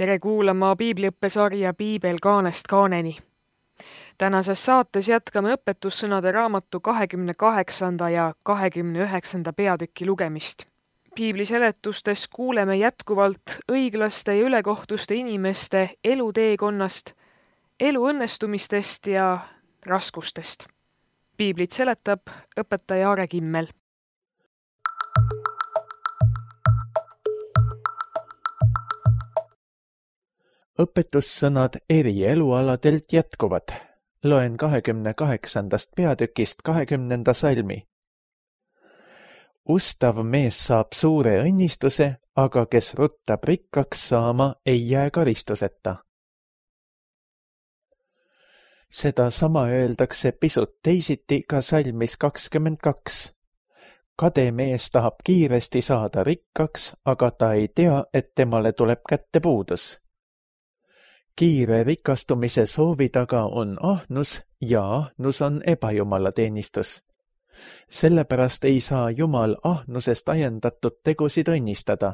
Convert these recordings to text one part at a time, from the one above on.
Tere kuulama piibliõppesarja Piibel kaanest kaaneni. Tänases saates jätkame õpetussõnade raamatu 28. ja 29. peatüki lugemist. Piibli seletustes kuuleme jätkuvalt õiglaste ja ülekohtuste inimeste eluteekonnast, elu õnnestumistest ja raskustest. Piiblit seletab õpetaja Aare Kimmel. Õpetussõnad eri elualadelt jätkuvad. Loen 28. peatükist 20. salmi. Ustav mees saab suure õnnistuse, aga kes ruttab rikkaks saama, ei jää karistuseta. Seda sama öeldakse pisut teisiti ka salmis 22. Kade mees tahab kiiresti saada rikkaks, aga ta ei tea, et temale tuleb kätte puudus. Kiire rikastumise soovi taga on ahnus ja ahnus on ebajumalateenistus. Sellepärast ei saa Jumal ahnusest ajendatud tegusid õnnistada.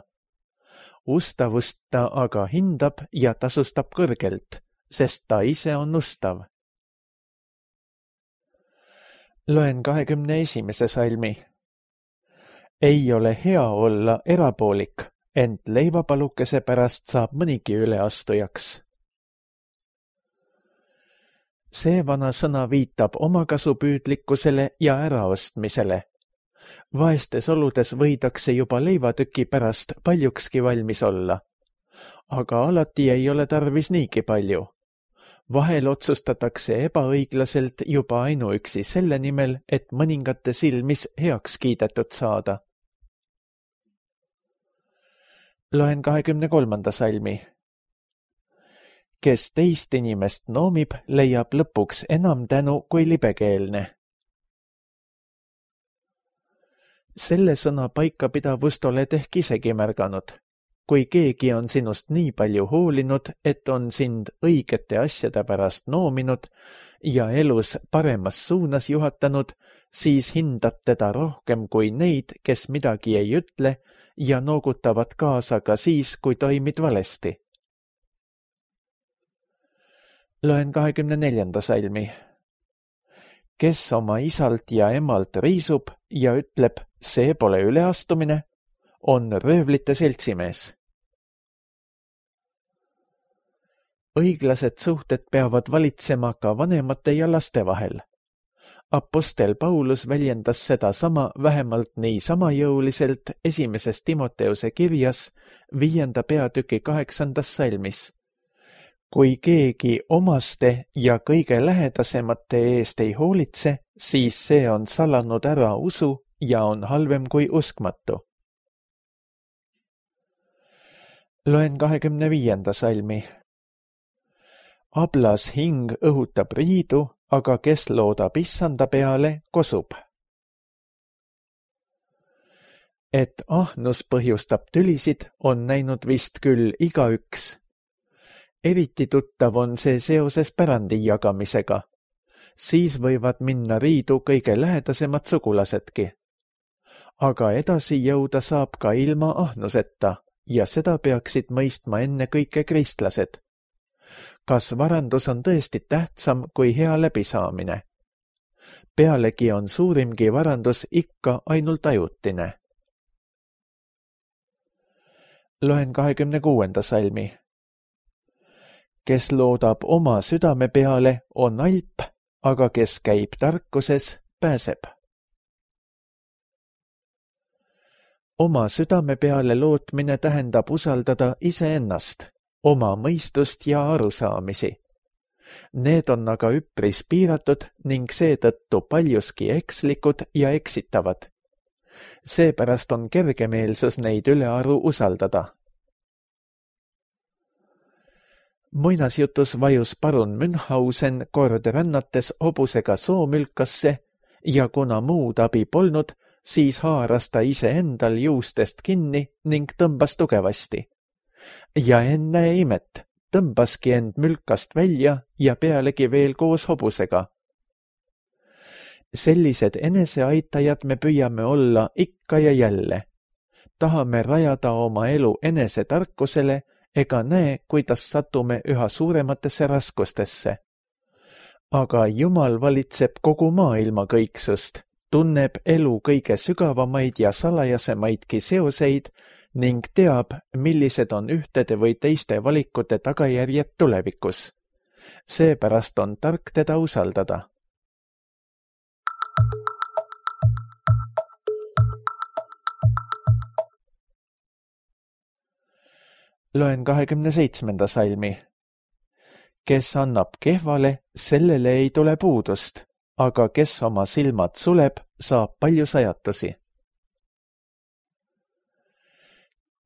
Ustavust ta aga hindab ja tasustab kõrgelt, sest ta ise on ustav. Loen 21. salmi. Ei ole hea olla erapoolik, ent leivapalukese pärast saab mõnigi üleastujaks. See vana sõna viitab omakasupüüdlikkusele ja äraostmisele. Vaestes oludes võidakse juba leivatüki pärast paljukski valmis olla. Aga alati ei ole tarvis niigi palju. Vahel otsustatakse ebaõiglaselt juba ainuüksi selle nimel, et mõningate silmis heaks kiidetud saada. Loen 23. salmi. Kes teist inimest noomib, leiab lõpuks enam tänu kui libekeelne. Selle sõna paikapidavust oled ehk isegi märganud. Kui keegi on sinust nii palju hoolinud, et on sind õigete asjade pärast noominud ja elus paremas suunas juhatanud, siis hindad teda rohkem kui neid, kes midagi ei ütle ja noogutavad kaasa ka siis, kui toimid valesti. Loen 24. salmi. Kes oma isalt ja emalt riisub ja ütleb, see pole üleastumine, on röövlite seltsimees. Õiglased suhted peavad valitsema ka vanemate ja laste vahel. Apostel Paulus väljendas seda sama vähemalt nii sama jõuliselt 1. Timoteuse kirjas 5. peatüki 8. salmis. Kui keegi omaste ja kõige lähedasemate eest ei hoolitse, siis see on salanud ära usu ja on halvem kui uskmatu. Loen 25. salmi. Ablas hing õhutab riidu, aga kes loodab issanda peale, kosub. Et ahnus põhjustab tülisid, on näinud vist küll igaüks. Eriti tuttav on see seoses pärandi jagamisega. Siis võivad minna riidu kõige lähedasemad sugulasedki. Aga edasi jõuda saab ka ilma ahnuseta ja seda peaksid mõistma enne kõike kristlased. Kas varandus on tõesti tähtsam kui hea läbisaamine? Pealegi on suurimgi varandus ikka ainult ajutine. Loen 26. salmi. Kes loodab oma südame peale, on alp, aga kes käib tarkuses, pääseb. Oma südame peale lootmine tähendab usaldada iseennast, oma mõistust ja arusaamisi. Need on aga üpris piiratud ning seetõttu paljuski ekslikud ja eksitavad. Seepärast on kergemeelsus neid ülearu usaldada. Muinasjutus vajus parun Münchhausen kord rännates hobusega soomülkasse ja kuna muud abi polnud, siis haaras ta ise endal juustest kinni ning tõmbas tugevasti. Ja ennäe imet, tõmbaski end mülkast välja ja pealegi veel koos hobusega. Sellised eneseaitajad me püüame olla ikka ja jälle. Tahame rajada oma elu enesetarkusele ega näe, kuidas satume üha suurematesse raskustesse. Aga Jumal valitseb kogu maailma kõiksust, tunneb elu kõige sügavamaid ja salajasemaidki seoseid ning teab, millised on ühtede või teiste valikute tagajärjed tulevikus. Seepärast on tark teda usaldada. Loen 27. salmi. Kes annab kehvale, sellele ei tule puudust, aga kes oma silmad suleb, saab palju sajatusi.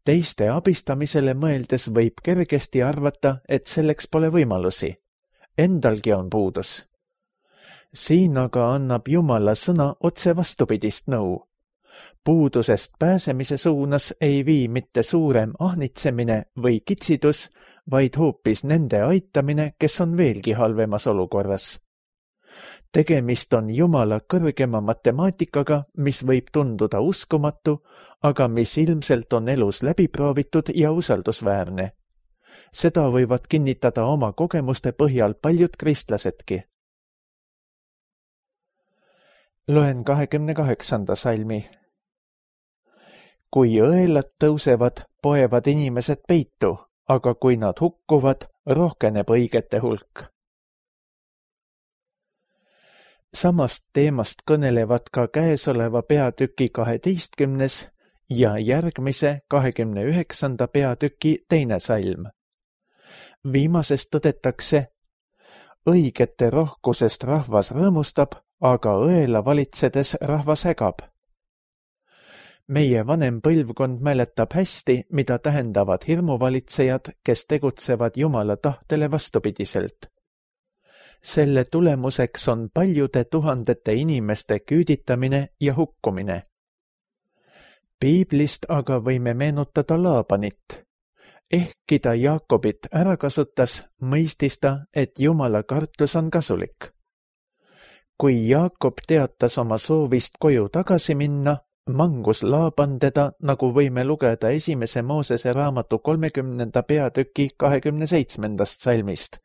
Teiste abistamisele mõeldes võib kergesti arvata, et selleks pole võimalusi. Endalgi on puudus. Siin aga annab Jumala sõna otse vastupidist nõu. Puudusest pääsemise suunas ei vii mitte suurem ahnitsemine või kitsidus, vaid hoopis nende aitamine, kes on veelgi halvemas olukorras. Tegemist on Jumala kõrgema matemaatikaga, mis võib tunduda uskumatu, aga mis ilmselt on elus läbiproovitud ja usaldusväärne. Seda võivad kinnitada oma kogemuste põhjal paljud kristlasedki. Loen 28. salmi. Kui õelad tõusevad, poevad inimesed peitu, aga kui nad hukkuvad, rohkeneb õigete hulk. Samast teemast kõnelevad ka käesoleva peatüki 12. ja järgmise 29. peatüki 2. salm. Viimases tõdetakse, õigete rohkusest rahvas rõõmustab, aga õela valitsedes rahvas hägab. Meie vanem põlvkond mäletab hästi, mida tähendavad hirmuvalitsejad, kes tegutsevad Jumala tahtele vastupidiselt. Selle tulemuseks on paljude tuhandete inimeste küüditamine ja hukkumine. Piiblist aga võime meenutada Laabanit. Ehkki ta Jaakobit ära kasutas, mõistis ta, et Jumala kartus on kasulik. Kui Jaakob teatas oma soovist koju tagasi minna, mangus Laaban teda, nagu võime lugeda 1. Moosese raamatu 30. peatüki 27. salmist.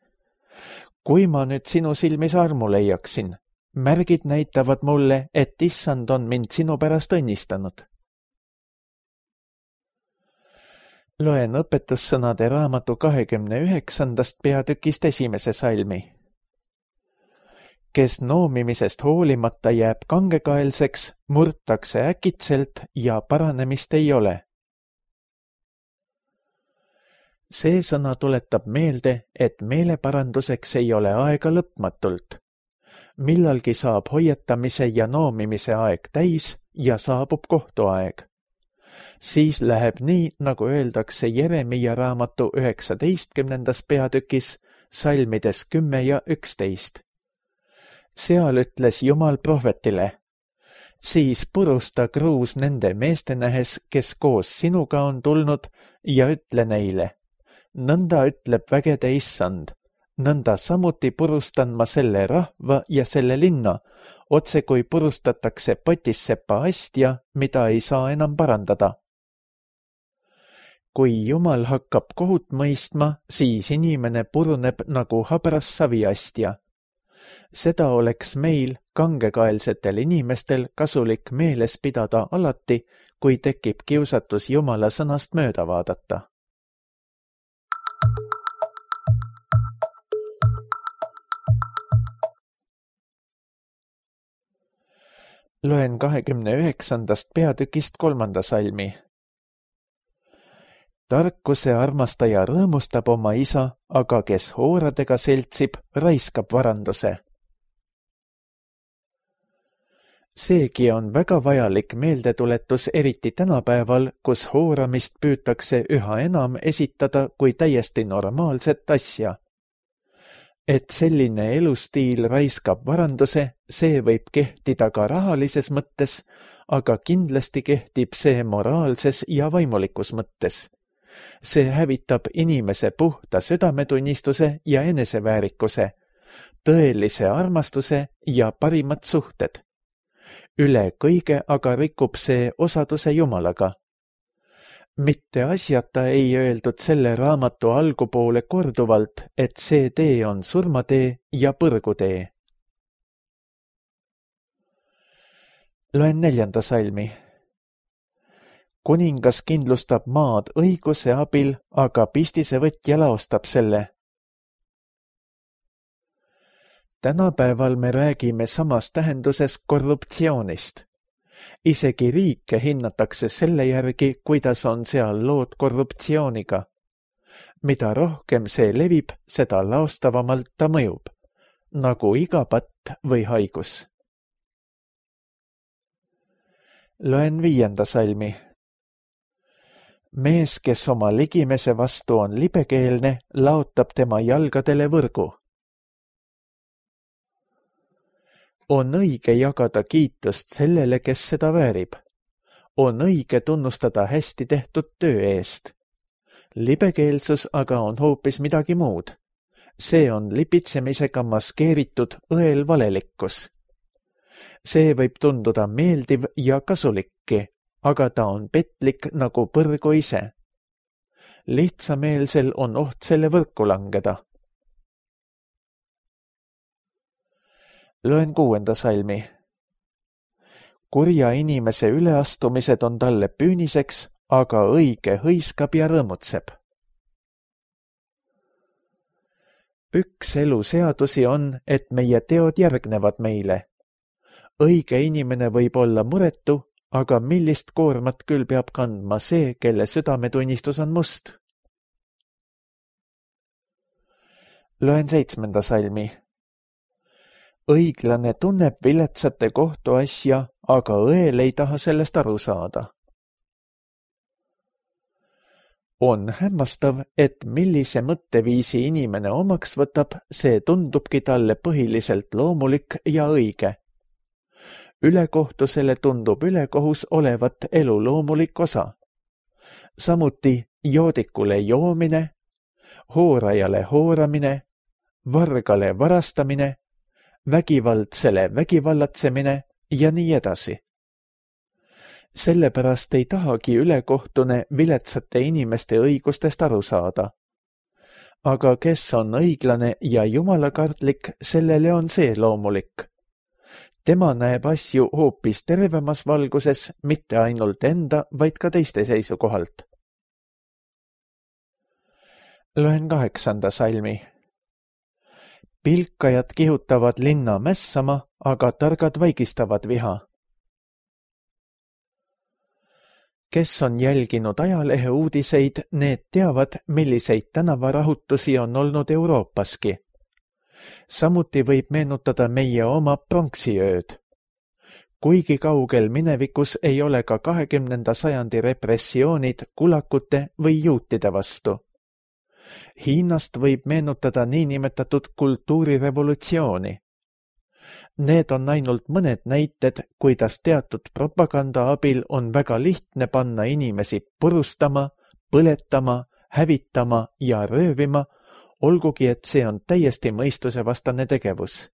Kui ma nüüd sinu silmis armu leiaksin, märgid näitavad mulle, et Issand on mind sinu pärast õnnistanud. Loen õpetussõnade raamatu 29. peatükist 1. salmi. Kes noomimisest hoolimata jääb kangekaelseks, murtakse äkitselt ja paranemist ei ole. See sõna tuletab meelde, et meeleparanduseks ei ole aega lõpmatult. Millalgi saab hoiatamise ja noomimise aeg täis ja saabub kohtuaeg. Siis läheb nii, nagu öeldakse Jeremia raamatu 19. peatükis, salmides 10 ja 11. Seal ütles Jumal prohvetile, siis purusta kruus nende meeste nähes, kes koos sinuga on tulnud, ja ütle neile, nõnda ütleb vägede Issand, nõnda samuti purustan ma selle rahva ja selle linna, otse kui purustatakse potissepa astja, mida ei saa enam parandada. Kui Jumal hakkab kohut mõistma, siis inimene puruneb nagu habras saviastja. Seda oleks meil, kangekaelsetel inimestel, kasulik meeles pidada alati, kui tekib kiusatus Jumala sõnast mööda vaadata. Loen 29. peatükist 3. salmi. Tarkuse armastaja rõõmustab oma isa, aga kes hooradega seltsib, raiskab varanduse. Seegi on väga vajalik meeldetuletus eriti tänapäeval, kus hooramist püütakse üha enam esitada kui täiesti normaalset asja. Et selline elustiil raiskab varanduse, see võib kehtida ka rahalises mõttes, aga kindlasti kehtib see moraalses ja vaimulikus mõttes. See hävitab inimese puhta südametunnistuse ja eneseväärikuse, tõelise armastuse ja parimad suhted. Üle kõige aga rikub see osaduse Jumalaga. mitte asjata ei öeldud selle raamatu algupoole korduvalt, et see tee on surmatee ja põrgutee. Loen 4. salmi. Kuningas kindlustab maad õiguse abil, aga pistisevõtja laostab selle. Tänapäeval me räägime samas tähenduses korruptsioonist. Isegi riike hinnatakse selle järgi, kuidas on seal lood korruptsiooniga. Mida rohkem see levib, seda laostavamalt ta mõjub, nagu iga patt või haigus. Loen 5. salmi. Mees, kes oma ligimese vastu on libekeelne, laotab tema jalgadele võrgu. On õige jagada kiitust sellele, kes seda väärib. On õige tunnustada hästi tehtud töö eest. Libekeelsus aga on hoopis midagi muud. See on lipitsemisega maskeeritud õel valelikkus. See võib tunduda meeldiv ja kasulikki, aga ta on petlik nagu põrgu ise. Lihtsameelsel on oht selle võrku langeda. Loen 6. salmi. Kurja inimese üleastumised on talle püüniseks, aga õige hõiskab ja rõõmutseb. Üks elu seadusi on, et meie teod järgnevad meile. Õige inimene võib olla muretu, aga millist koormat küll peab kandma see, kelle südametunnistus on must? Loen 7. salmi. Õiglane tunneb viletsate kohtuasja, aga õel ei taha sellest aru saada. On hämmastav, et millise mõtteviisi inimene omaks võtab, see tundubki talle põhiliselt loomulik ja õige. Ülekohtusele tundub ülekohus olevat elu loomulik osa. Samuti joodikule joomine, hoorajale hooramine, vargale varastamine, vägivaldsele vägivallatsemine ja nii edasi. Sellepärast ei tahagi ülekohtune viletsate inimeste õigustest aru saada. Aga kes on õiglane ja jumalakartlik, sellele on see loomulik. Tema näeb asju hoopis tervemas valguses, mitte ainult enda, vaid ka teiste seisukohalt. Loen 8. salmi. Pilkajad kihutavad linna mässama, aga targad vaigistavad viha. Kes on jälginud ajalehe uudiseid, need teavad, milliseid tänavarahutusi on olnud Euroopaski. Samuti võib meenutada meie oma pronksiööd. Kuigi kaugel minevikus ei ole ka 20. sajandi repressioonid kulakute või juutide vastu. Hiinast võib meenutada niinimetatud kultuurirevolutsiooni. Need on ainult mõned näited, kuidas teatud propaganda abil on väga lihtne panna inimesi purustama, põletama, hävitama ja röövima, olgugi et see on täiesti mõistusevastane tegevus.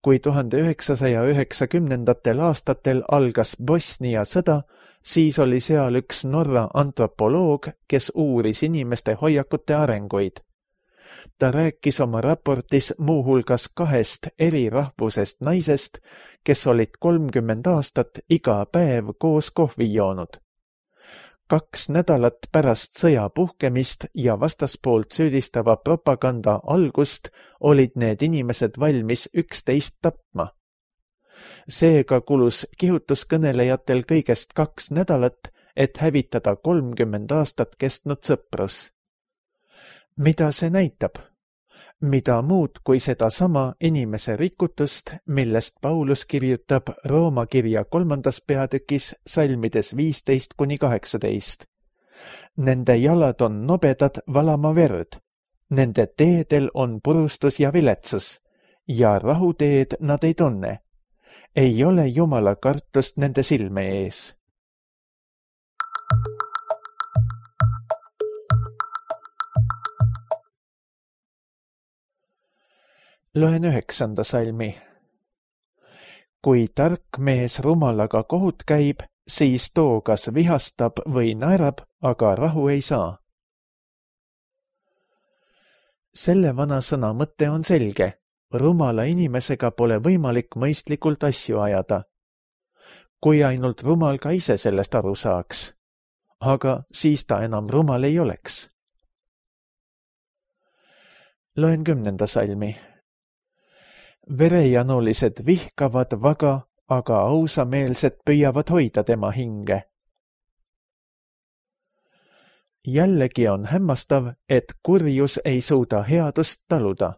Kui 1990. aastatel algas Bosnia sõda, siis oli seal üks Norra antropoloog, kes uuris inimeste hoiakute arenguid. Ta rääkis oma raportis muuhulgas 2 eri rahvusest naisest, kes olid 30 aastat iga päev koos kohvi joonud. 2 nädalat pärast sõja puhkemist ja vastaspoolt süüdistava propaganda algust olid need inimesed valmis üksteist tapma. Seega kulus kihutuskõnelejatel kõigest 2 nädalat, et hävitada 30 aastat kestnud sõprus. Mida see näitab? Mida muud kui sedasama inimese rikutust, millest Paulus kirjutab Rooma kirja 3. peatükis salmides 15-18. Nende jalad on nobedad valama verd, nende teedel on purustus ja viletsus ja rahuteed nad ei tunne. Ei ole Jumala kartust nende silme ees. Loen 9. salmi. Kui tark mees rumalaga kohut käib, siis too kas vihastab või naerab, aga rahu ei saa. Selle vanasõna mõte on selge. Rumala inimesega pole võimalik mõistlikult asju ajada. Kui ainult rumal ka ise sellest aru saaks. Aga siis ta enam rumal ei oleks. Loen 10. salmi. Verejanulised vihkavad vaga, aga ausameelsed püüavad hoida tema hinge. Jällegi on hämmastav, et kurjus ei suuda headust taluda.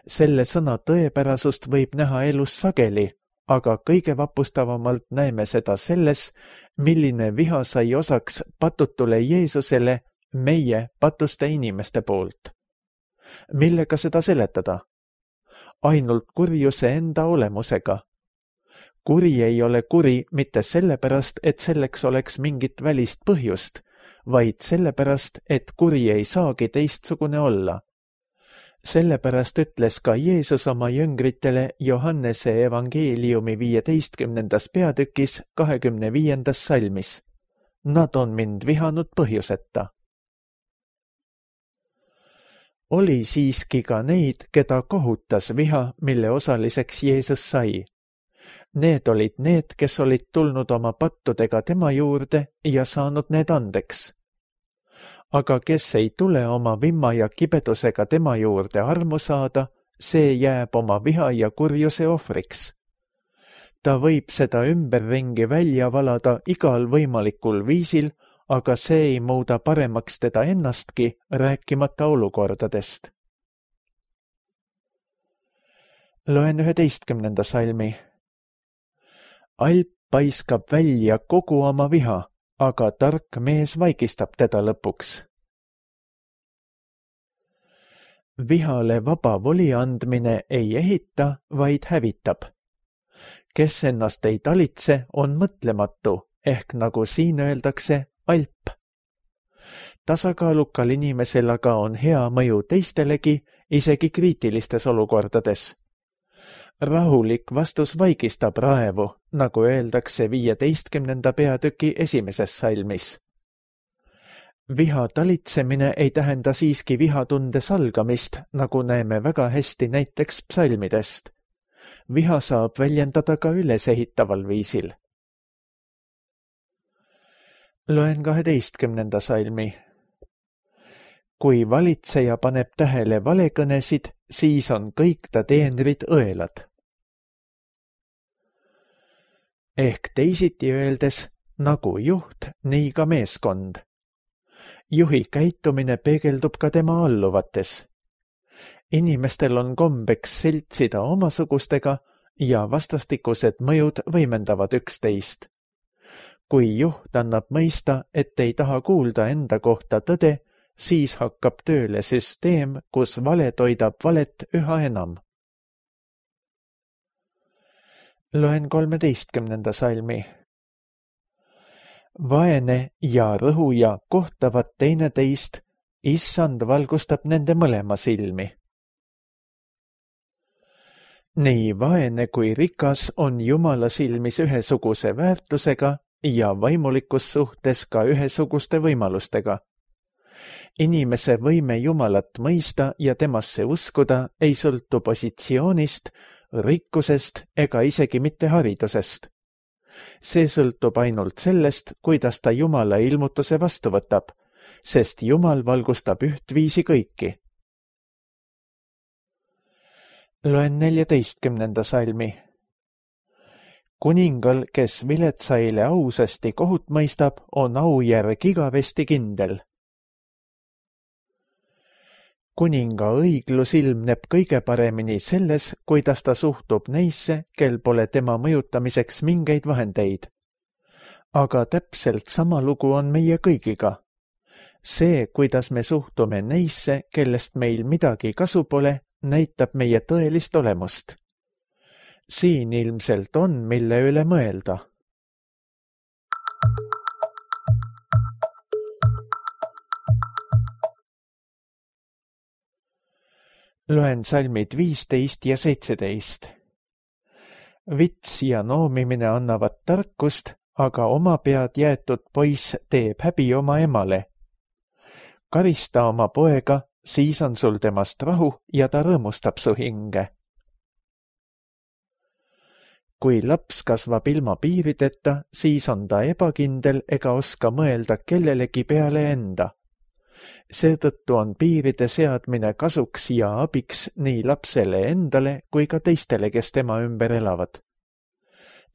Selle sõna tõepärasust võib näha elus sageli, aga kõige vapustavamalt näeme seda selles, milline viha sai osaks patutule Jeesusele meie patuste inimeste poolt. Millega seda seletada? Ainult kurjuse enda olemusega. Kuri ei ole kuri mitte sellepärast, et selleks oleks mingit välist põhjust, vaid sellepärast, et kuri ei saagi teistsugune olla. Sellepärast ütles ka Jeesus oma jüngritele Johannese evangeeliumi 15. peatükis 25. salmis. Nad on mind vihanud põhjuseta. Oli siiski ka neid, keda kohutas viha, mille osaliseks Jeesus sai. Need olid need, kes olid tulnud oma pattudega tema juurde ja saanud need andeks. Aga kes ei tule oma vimma ja kibedusega tema juurde armu saada, see jääb oma viha ja kurjuse ohvriks. Ta võib seda ümberringi välja valada igal võimalikul viisil, aga see ei muuda paremaks teda ennastki, rääkimata olukordadest. Loen 11. salmi. Alp paiskab välja kogu oma viha, aga tark mees vaikistab teda lõpuks. Vihale vaba voli andmine ei ehita, vaid hävitab. Kes ennast ei talitse, on mõtlematu, ehk nagu siin öeldakse, alp. Tasakaalukal inimesel aga on hea mõju teistelegi, isegi kriitilistes olukordades. Rahulik vastus vaikistab raevu, nagu öeldakse 15. peatüki 1. salmis. Viha talitsemine ei tähenda siiski vihatunde salgamist, nagu näeme väga hästi näiteks psalmidest. Viha saab väljendada ka ülesehitaval viisil. Loen 12. salmi. Kui valitseja paneb tähele valekõnesid, siis on kõik ta teenrid õelad. Ehk teisiti öeldes, nagu juht, nii ka meeskond. Juhi käitumine peegeldub ka tema alluvates. Inimestel on kombeks seltsida omasugustega ja vastastikused mõjud võimendavad üksteist. Kui juht annab mõista, et ei taha kuulda enda kohta tõde, siis hakkab tööle süsteem, kus vale toidab valet üha enam. Loen 13. salmi. Vaene ja rõhuja kohtavad teineteist, issand valgustab nende mõlema silmi. Nii vaene kui rikas on Jumala silmis ühesuguse väärtusega ja vaimulikus suhtes ka ühesuguste võimalustega. Inimese võime Jumalat mõista ja temasse uskuda ei sõltu positsioonist, rikkusest ega isegi mitte haridusest. See sõltub ainult sellest, kuidas ta Jumala ilmutuse vastu võtab, sest Jumal valgustab ühtviisi kõiki. Loen 14. salmi. Kuningal, kes viletsaile ausasti kohut mõistab, on aujärg igavesti kindel. Kuninga õiglus ilmneb kõige paremini selles, kuidas ta suhtub neisse, kel pole tema mõjutamiseks mingeid vahendeid. Aga täpselt sama lugu on meie kõigiga. See, kuidas me suhtume neisse, kellest meil midagi kasu pole, näitab meie tõelist olemust. Siin ilmselt on, mille üle mõelda. Loen salmid 15 ja 17. Vits ja noomimine annavad tarkust, aga oma pead jäetud poiss teeb häbi oma emale. Karista oma poega, siis on sul temast rahu ja ta rõõmustab su hinge. Kui laps kasvab ilma piirideta, siis on ta ebakindel ega oska mõelda kellelegi peale enda. Seetõttu on piiride seadmine kasuks ja abiks nii lapsele endale kui ka teistele, kes tema ümber elavad.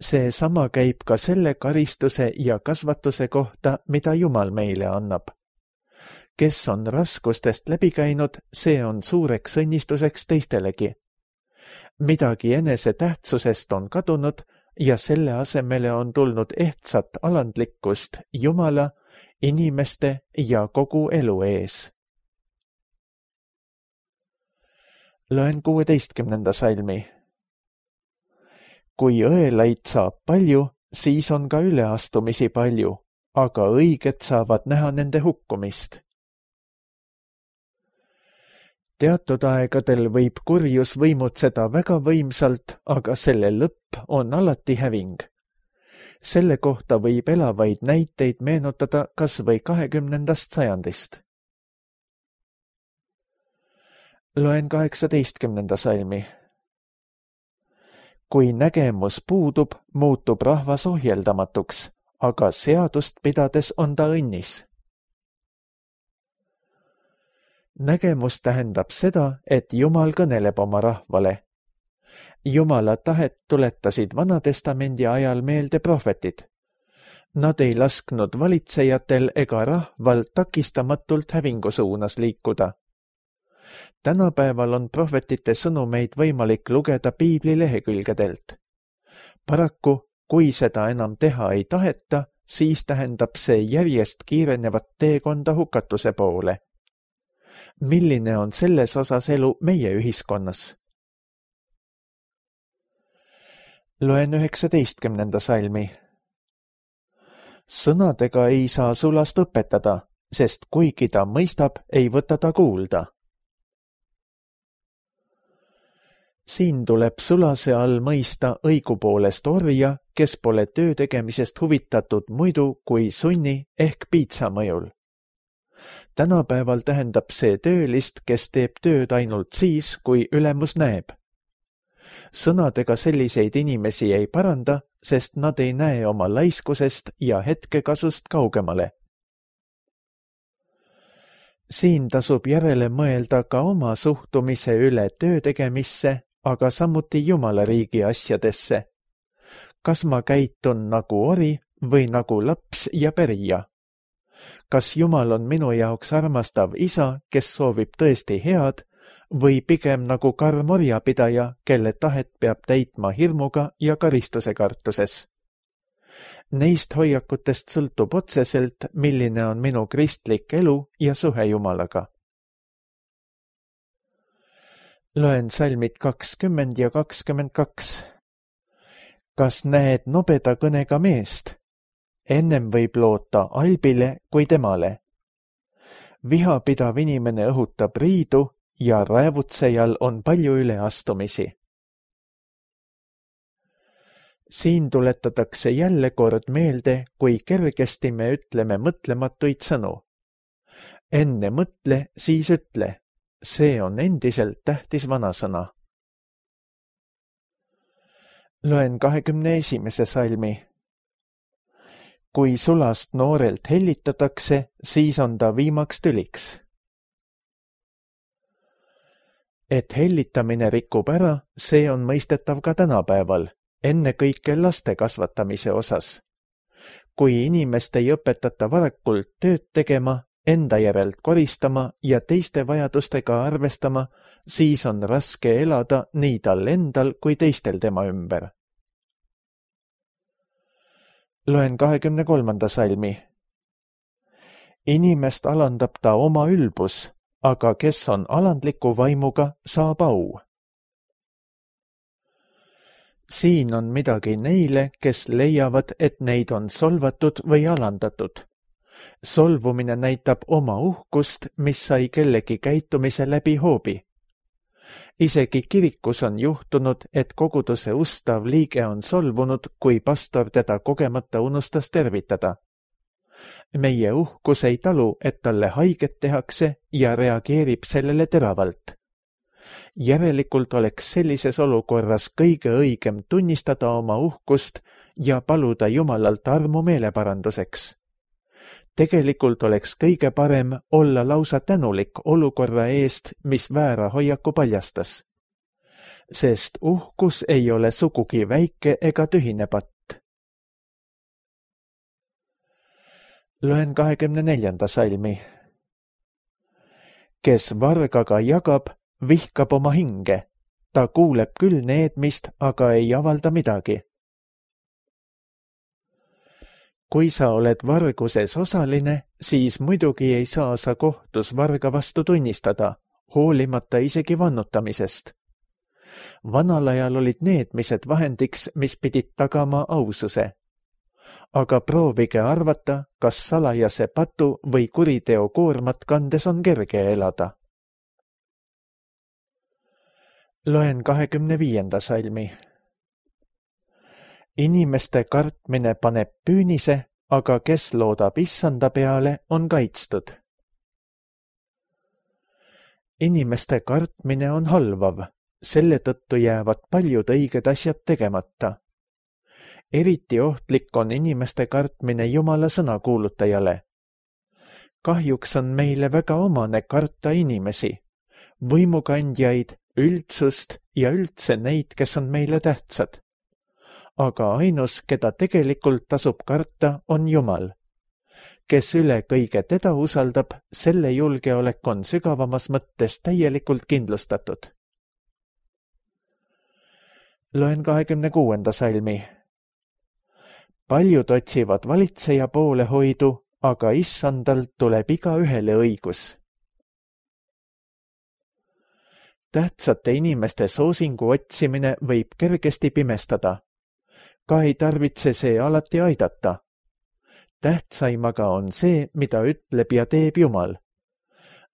See sama käib ka selle karistuse ja kasvatuse kohta, mida Jumal meile annab. Kes on raskustest läbi käinud, see on suureks õnnistuseks teistelegi. Midagi enese tähtsusest on kadunud ja selle asemele on tulnud ehtsat alandlikkust Jumala, inimeste ja kogu elu ees. Loen 16. salmi. Kui õelaid saab palju, siis on ka üleastumisi palju, aga õiged saavad näha nende hukkumist. Teatud aegadel võib kurjus võimutseda väga võimsalt, aga selle lõpp on alati häving. Selle kohta võib elavaid näiteid meenutada kas või 20. sajandist. Loen 18. salmi. Kui nägemus puudub, muutub rahvas ohjeldamatuks, aga seadust pidades on ta õnnis. Nägemus tähendab seda, et Jumal kõneleb oma rahvale. Jumala tahet tuletasid Vanatestamendi ajal meelde prohvetid. Nad ei lasknud valitsejatel ega rahval takistamatult hävingu suunas liikuda. Tänapäeval on prohvetite sõnumeid võimalik lugeda piibli lehekülgedelt. Paraku, kui seda enam teha ei taheta, siis tähendab see järjest kiirenevat teekonda hukatuse poole. Milline on selles osas elu meie ühiskonnas? Loen 19. salmi. Sõnadega ei saa sulast õpetada, sest kuigi ta mõistab, ei võta ta kuulda. Siin tuleb sulase all mõista õigupoolest orja, kes pole töö tegemisest huvitatud muidu kui sunni ehk piitsa mõjul. Tänapäeval tähendab see töölist, kes teeb tööd ainult siis, kui ülemus näeb. Sõnadega selliseid inimesi ei paranda, sest nad ei näe oma laiskusest ja hetkekasust kaugemale. Siin tasub järele mõelda ka oma suhtumise üle töö tegemisse, aga samuti Jumala riigi asjadesse. Kas ma käitun nagu ori või nagu laps ja pärija? Kas Jumal on minu jaoks armastav isa, kes soovib tõesti head, või pigem nagu karm orjapidaja, kelle tahet peab täitma hirmuga ja karistuse kartuses? Neist hoiakutest sõltub otseselt, milline on minu kristlik elu ja suhe Jumalaga. Loen salmid 20 ja 22. Kas näed nobeda kõnega meest? Ennem võib loota albile kui temale. Vihapidav inimene õhutab riidu ja raevutsejal on palju üleastumisi. Siin tuletatakse jälle kord meelde, kui kergesti me ütleme mõtlematuid sõnu. Enne mõtle, siis ütle. See on endiselt tähtis vanasõna. Loen 21. salmi. Kui sulast noorelt hellitatakse, siis on ta viimaks tüliks. Et hellitamine rikub ära, see on mõistetav ka tänapäeval, ennekõike laste kasvatamise osas. Kui inimest ei õpetata varakult tööd tegema, enda järelt koristama ja teiste vajadustega arvestama, siis on raske elada nii tal endal kui teistel tema ümber. Loen 23. salmi. Inimest alandab ta oma ülbus, aga kes on alandliku vaimuga, saab au. Siin on midagi neile, kes leiavad, et neid on solvatud või alandatud. Solvumine näitab oma uhkust, mis sai kellegi käitumise läbi hoobi. Isegi kirikus on juhtunud, et koguduse ustav liige on solvunud, kui pastor teda kogemata unustas tervitada. Meie uhkus ei talu, et talle haiget tehakse ja reageerib sellele teravalt. Järelikult oleks sellises olukorras kõige õigem tunnistada oma uhkust ja paluda Jumalalt armu meeleparanduseks. Tegelikult oleks kõige parem olla lausa tänulik olukorra eest, mis väära hoiaku paljastas. Sest uhkus ei ole sugugi väike ega tühine patt. Loen 24. salmi. Kes vargaga jagab, vihkab oma hinge. Ta kuuleb küll needmist, aga ei avalda midagi. Kui sa oled varguses osaline, siis muidugi ei saa sa kohtus varga vastu tunnistada, hoolimata isegi vannutamisest. Vanal ajal olid needmised vahendiks, mis pidid tagama aususe. Aga proovige arvata, kas salajase patu või kuriteo koormat kandes on kerge elada. Loen 25. salmi. Inimeste kartmine paneb püünise, aga kes loodab issanda peale, on kaitstud. Inimeste kartmine on halvav, selle tõttu jäävad paljud õiged asjad tegemata. Eriti ohtlik on inimeste kartmine Jumala sõnakuulutajale. Kahjuks on meile väga omane karta inimesi, võimukandjaid, üldsust ja üldse neid, kes on meile tähtsad. Aga ainus, keda tegelikult tasub karta, on Jumal. Kes üle kõige teda usaldab, selle julgeolek on sügavamas mõttes täielikult kindlustatud. Loen 26. salmi. Paljud otsivad valitseja poolehoidu, aga issandalt tuleb igaühele õigus. Tähtsate inimeste soosingu otsimine võib kergesti pimestada. Ka ei tarvitse see alati aidata. Tähtsaim aga on see, mida ütleb ja teeb Jumal.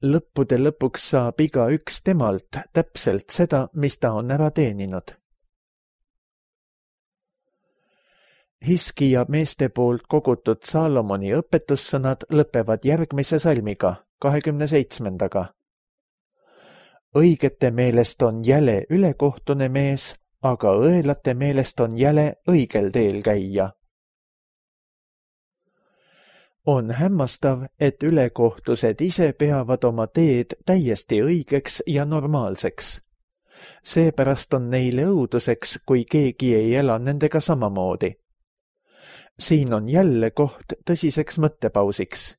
Lõppude lõpuks saab igaüks temalt täpselt seda, mis ta on ära teeninud. Hiskija meeste poolt kogutud Saalomoni õpetussõnad lõpevad järgmise salmiga, 27. Õigete meelest on jäle ülekohtune mees, aga õelate meelest on jäle õigel teel käia. On hämmastav, et ülekohtused ise peavad oma teed täiesti õigeks ja normaalseks. Seepärast on neile õuduseks, kui keegi ei ela nendega samamoodi. Siin on jälle koht tõsiseks mõttepausiks.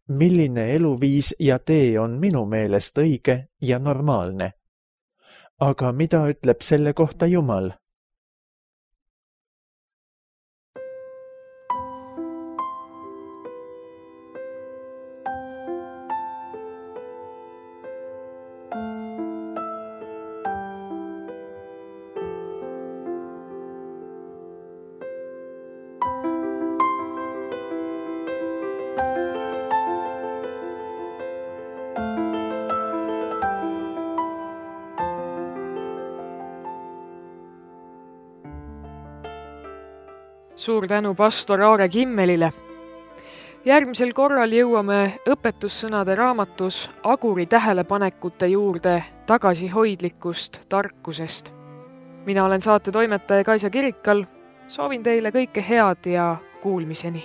Milline eluviis ja tee on minu meelest õige ja normaalne? Aga mida ütleb selle kohta Jumal? Suur tänu pastor Aare Kimmelile. Järgmisel korral jõuame õpetussõnade raamatus Aguri tähelepanekute juurde tagasihoidlikust tarkusest. Mina olen saate toimetaja Kaisa Kirikal. Soovin teile kõike head ja kuulmiseni.